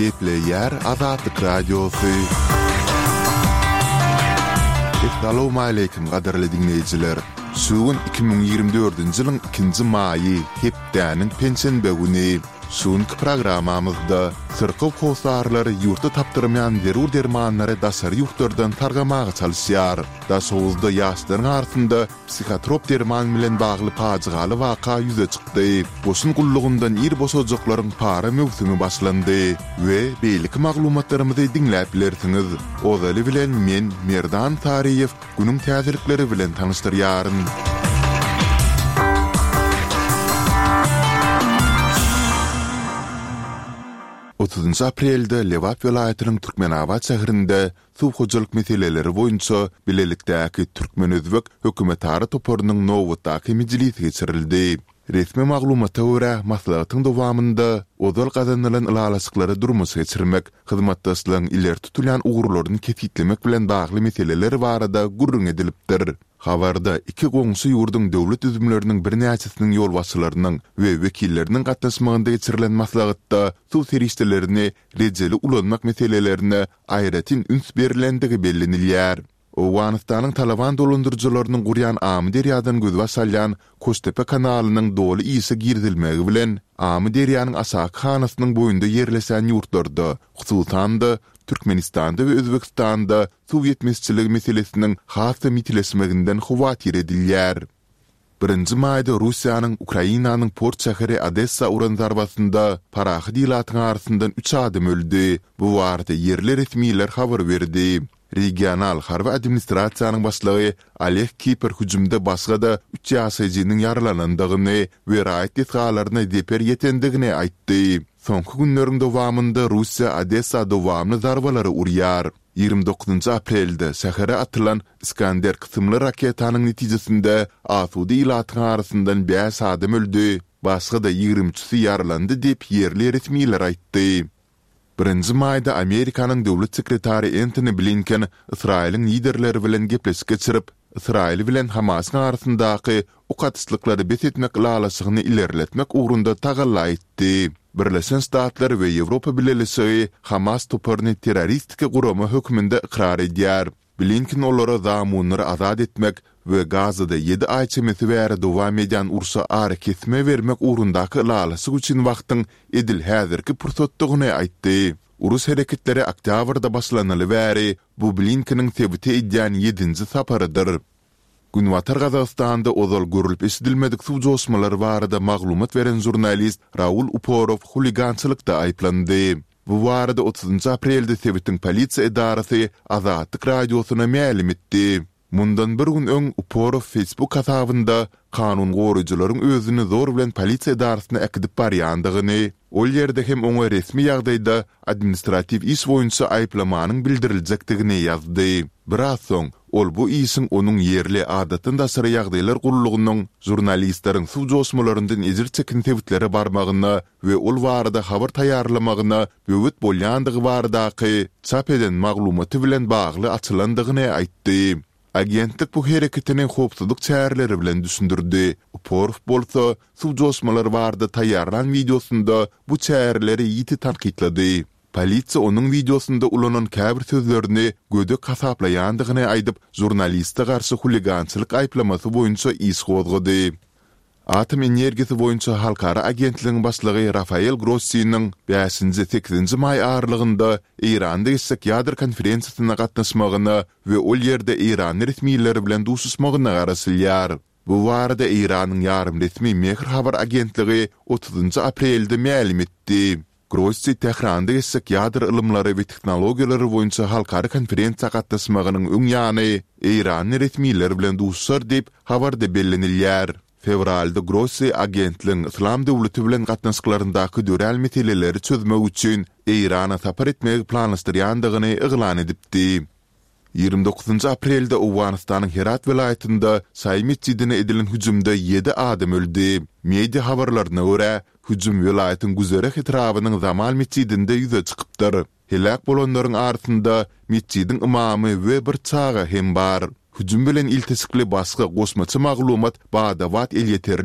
Gepleýär Azatlyk Radiosy. Essalawmaleýkim gadyrly diňleýjiler! Şu gün 2024-nji ýylyň ikinji maýy, hepdäniň penşenbe güni. Şu günki programmamyzda syrkaw hossarlary ýurtda tapdyrmaýan zerur dermanlary daşary ýurtlardan sargamaga çalyşýar. Daşoguzda ýaşlaryň arasynda psihotrop derman bilen bagly pajygaly waka ýüze çykdy. Goşun gullugyndan ir boşajaklaryň para möwsümi başlandy we beýleki maglumatlarymyzy diňläp bilersiňiz. Ozaly bilen men, Merdan Saryýew, günüň täzelikleri bilen tanyşdyrýaryn. Otuzynjy aprelde Lebap welaýatynyň Türkmenabat şäherinde suw hojalyk meseleleri boýunça bilelikdäki türkmen-özbek hökümetara toparynyň nobatdaky mejlisi geçirildi. Resmi maglumata görä, maslahatyň dowamynda ozal gazanylan ylalaşyklary durmuşa geçirmek, hyzmatdaşlygyň ileri tutulýan ugurlaryny kesgitlemek bilen bagly meseleler barada gürrüň edilipdir. Habarda iki goňşy ýurduň döwlet düzümleriniň birnäçesiniň ýolbaşçylarynyň we wekilleriniň gatnaşmagynda geçirilen maslahatda suw serişdelerini rejeli ulanmak meselelerine aýratyn üns berlendigi bellenilýär. Owganystanyň Talaban dolandyryjylarynyň gurýan Amyderýadan gözbaş alýan Koştepe kanalynyň doly işe girizilmegi bilen, Amyderýanyň aşaky hanasynyň boýunda ýerleşen ýurtlarda, hususan-da, Türkmenistanda we Özbegistanda suw ýetmezçiligi meselesiniň has-da ýitileşmeginden howatyr edilýär. Birinji maýda Russiýanyň Ukrainanyň port şäheri Odessa uran zarbasynda parahat ilatyň arasyndan üç adam öldi. Bu barada ýerli resmiler habar berdi. Regional harby administrasiýanyň başlygy Oleg Kiper hüjümde başga-da üç ýaşaýjynyň ýaralanandygyny we raýat desgalaryna zeper ýetendigini aýtdy. Soňky günleriň dowamynda Russiýa Odessa dowamly zarbalary urýar. 29 aprelde şähere atylan Iskander kysymly raketanyň netijesinde asuda ilatyň arasyndan bäş adam öldi, başga-da ýigrimi üçüsi ýaralandy diýip, ýerli resmiler aýtdy. Birinji maýda Amerikanyň döwlet sekretary Entoni Blinken Ysraýylyň liderleri bilen gepleşik geçirip, Ysraýyl bilen Hamasyň arasyndaky ok atyşlyklary bes etmek ylalaşygyny ilerletmek ugrunda tagalla etdi. Birleşen Ştatlar we Ýewropa Bileleşigi Hamas toparyny terroristiki gurama hökmünde ykrar edýär. Blinken olara zamunlary azat etmek we Gazada ýedi aý çemesi bäri dowam edýän urşa arakesme bermek ugrundaky ylalaşyk üçin wagtyň edil häzirki pursatdygyny aýtdy. Uruş hereketleri oktýabrda başlanaly bäri bu Blinkeniň sebite edýän ýedinji saparydyr. Günbatar Gazagystanda ozal görlüp-eşidilmedik suw joşmalary barada maglumat beren žurnalist Raul Uporow huligançylykda aýyplandy. Bu barada otuzynjy aprelde sebitiň polisiýa edarasy Azatlyk Radiosyna mälim etdi. Mundan bir gün öň Uporow Facebook hasabynda kanun goraýjylaryň özüni zor bilen polisiýa edarasyna äkidip barýandygyny, ol ýerde hem oňa resmi ýagdaýda administratiw iş boýunça aýyplamanyň bildiriljekdigini ýazdy. Biraz soň, ol bu işiň onuň ýerli adatdan daşary ýagdaýlar gullugynyň žurnalistleriň suw joşmalaryndan ejir çeken sebitlere barmagyna we ol barada habar taýýarlamagyna böwet bolýandygy baradaky çap eden maglumaty bilen bagly açylandygyny aýtdy. Agentlik bu hereketini howpsuzlyk çäreleri bilen düşündirdi. Uporow bolsa, suw joşmalary barada taýýarlan wideosynda bu çäreleri ýiti tankytlady. Polisiýa onuň wideosynda ulanan käbir sözlerini gödek hasaplaýandygyny aýdyp, žurnaliste garşy huligançylyk aýyplamasy boýunça iş gozgady. Atom energiýasy boýunça halkara agentligiň başlygy Rafael Grossiniň bäşinji, sekizinji maý aralygynda Eýranda geçjek ýadro konferensiýasyna gatnaşmagyna we ol ýerde eýranly resmiler bilen duşuşmagyna garaşylýar. Bu barada Eýranyň ýarym resmi Mehr habar agentligi otuzynjy aprelde mälim etdi. Grossi Tähranda geçjek ýadro ylymlary we tehnologiýalary boýunça halkara konferensiýa gatnaşmagynyň öň ýany eýranly resmiler bilen duşuşar diýip, habarda bellenilýär. Fewralda Grossi agentligiň Yslam döwleti bilen gatnaşyklaryndaky dörän meseleleri çözmek üçin Eýrana sapar etmegi planlaşdyrýandygyny yglan edipdi. 29 aprelde Owganystanyň Herat welaýatynda şaýy metjidine edilen hüjümde ýedi adam öldi. Media habarlaryna görä, hüjüm welaýatyň Güzereh etrabynyň Zamal metjidinde ýüze çykypdyr. Heläk bolanlaryň arasynda metjidiň ymamy we bir çaga hem bar. Hüjüm bilen ilteşikli başga goşmaça maglumat bada-bat elýeterli.